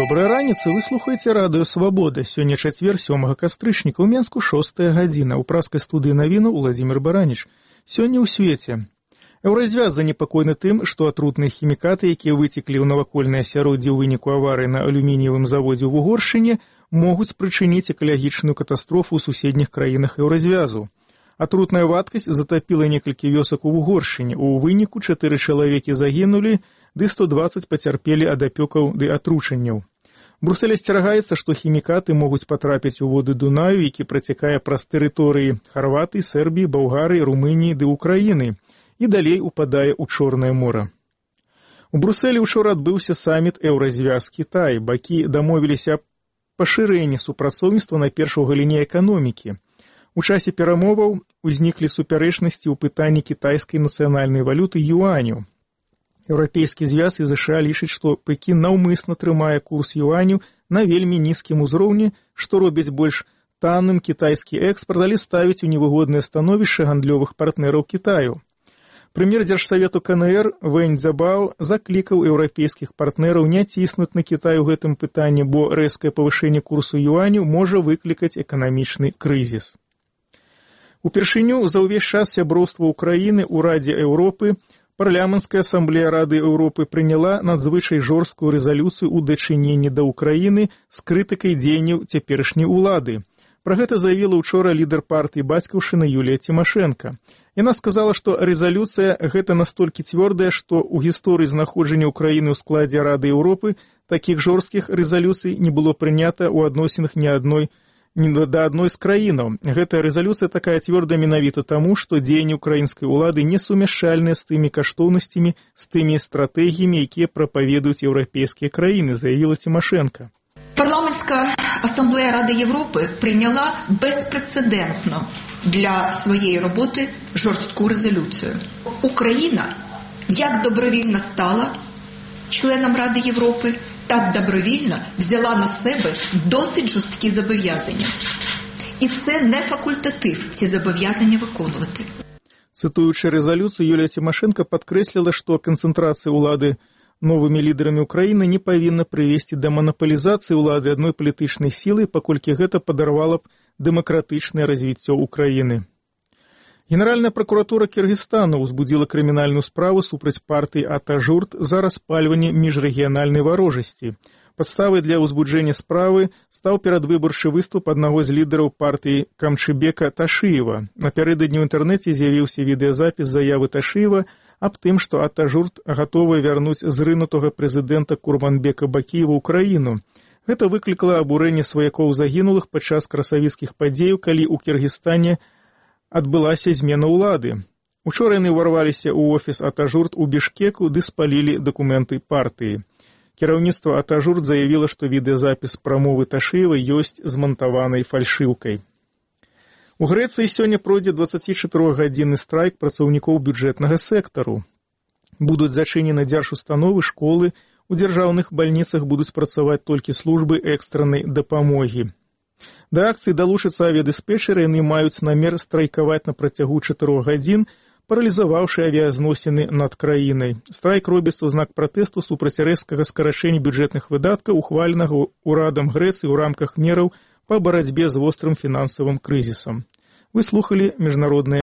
Добрай раніцы, вы слухаеце радыё «Свабода». Сёння чацвер, 7 кастрычніка, у Менску 6 гадзіна. У праскай студыі навіну Владзімир Бараніч. Сёння ў свеце. Еўразвяз занепакоены тым, што атрутныя хімікаты, якія выцеклі ў навакольнае асяроддзе ў выніку аварыі на алюмініевым заводзе ў Угоршчыне, могуць спрычыніць экалагічную катастрофу ў суседніх краінах Еўразвязу. Атрутная вадкасць затапіла некалькі вёсак у Угоршчыне. У выніку 4 чалавекі загінулі, ды 120 пацярпелі ад апёкаў ды атручанняў. Брусэль асцерагаецца, што хімікаты могуць патрапіць у воды Дунаю, які працякае праз тэрыторыі Харватыі, Сербіі, Балгарыі, Румыніі ды Украіны, і далей упадае ў Чорнае мора. У Брусэлі учора адбыўся саміт Еўразвяз-Кітай. Бакі дамовіліся аб пашырэнні супрацоўніцтва найперш у галіне эканомікі. У часе перамоваў узніклі супярэчнасці ў пытанні кітайскай нацыянальнай валюты юаню. Еўрапейскі звяз і ЗША лічыць, што Пекін наўмысна трымае курс юаню на вельмі нізкім узроўні, што робіць больш танным кітайскі экспарт, але ставіць у невыгоднае становішча гандлёвых партнераў Кітаю. Прэм'ер Дзяржсавету КНР Вэнь Цзябао заклікаў еўрапейскіх партнераў не ціснуць на Кітай у гэтым пытанні, бо рэзкае павышэнне курсу юаню можа выклікаць эканамічны крызіс. Упершыню за ўвесь час сяброўства Украіны ў Радзе Еўропы Парламенцкая асамблея Рады Еўропы прыняла надзвычай жорсткую рэзалюцыю ў дачыненні да Украіны з крытыкай дзеянняў цяперашняй улады. Пра гэта заявіла учора лідар партыі Бацькаўшчына Юлія Цімашэнка. Яна сказала, што рэзалюцыя гэта настолькі цвёрдая, што ў гісторыі знаходжання Украіны ў складзе Рады Еўропы такіх жорсткіх рэзалюцый не было прынята ў адносінах да адной з краінаў. Гэтая рэзалюцыя такая цвёрдая менавіта таму, што дзеянні украінскай улады не сумяшчальныя з тымі каштоўнасцямі, з тымі стратэгіямі, якія прапаведуюць еўрапейскія краіны, заявіла Цімашэнка. Парламентська асамблея Ради Європи прийняла безпрецедентно для своєї роботи жорстку резолюцію. Україна як добровільно стала членом Ради Європи, так добровільно взяла на себе досить жорсткі зобов'язання. І це не факультатив ці зобов'язання виконувати. Цитуючи резолюцію, Юлія Тимошенко підкреслила, що концентрація улады новымі лідарамі Украіны не павінна прывесці да манаполізацыі ўлады адной палітычнай сілы, паколькі гэта падарвала б дэмакратычнае развіццё Украіны. Генеральная прокуратура Кыргызстану ўзбудзіла крымінальную справу супраць партыі Ата-Журт за распальванне міжрэгіянальнай варожасці. Падставай для ўзбуджэння справы стаў перадвыбарчы выступ аднаго з лідараў партыі Камчыбека Ташыева. Напярэдадні ў інтэрнэце з'явіўся відэазапіс заявы Ташыева аб тым, што Ата-Журт гатовая вярнуць зрынутага прэзідэнта Курманбека Бакіева ў краіну. Гэта выклікала абурэнне сваякоў загінулых падчас красавіцкіх падзеяў, калі ў Кіргізстане адбылася змена ўлады. Учора яны ўварваліся ў офіс Ата-Журт у Бішкеку ды спалілі дакументы партыі. Кіраўніцтва Ата-Журт заявіла, што відэазапіс прамовы Ташыева ёсць змантаванай фальшыўкай. У Грэцыі сёння пройдзе 24-гадзінны страйк працаўнікоў бюджэтнага сектару. Будуць зачынены дзяржустановы, школы, у дзяржаўных бальніцах будуць працаваць толькі службы экстраннай дапамогі. Да акцыі далучацца авіядыспетчары, яны маюць намер страйкаваць на працягу 4 гадзін, паралізаваўшы авіязносіны над краінай. Страйк робіцца ў знак пратэсту супраць рэзкага скарачэння бюджэтных выдаткаў, ухваленага ўрадам Грэцыі ў рамках мераў па барацьбе з вострым фінансавым крызісам. Вы слухалі міжнароднае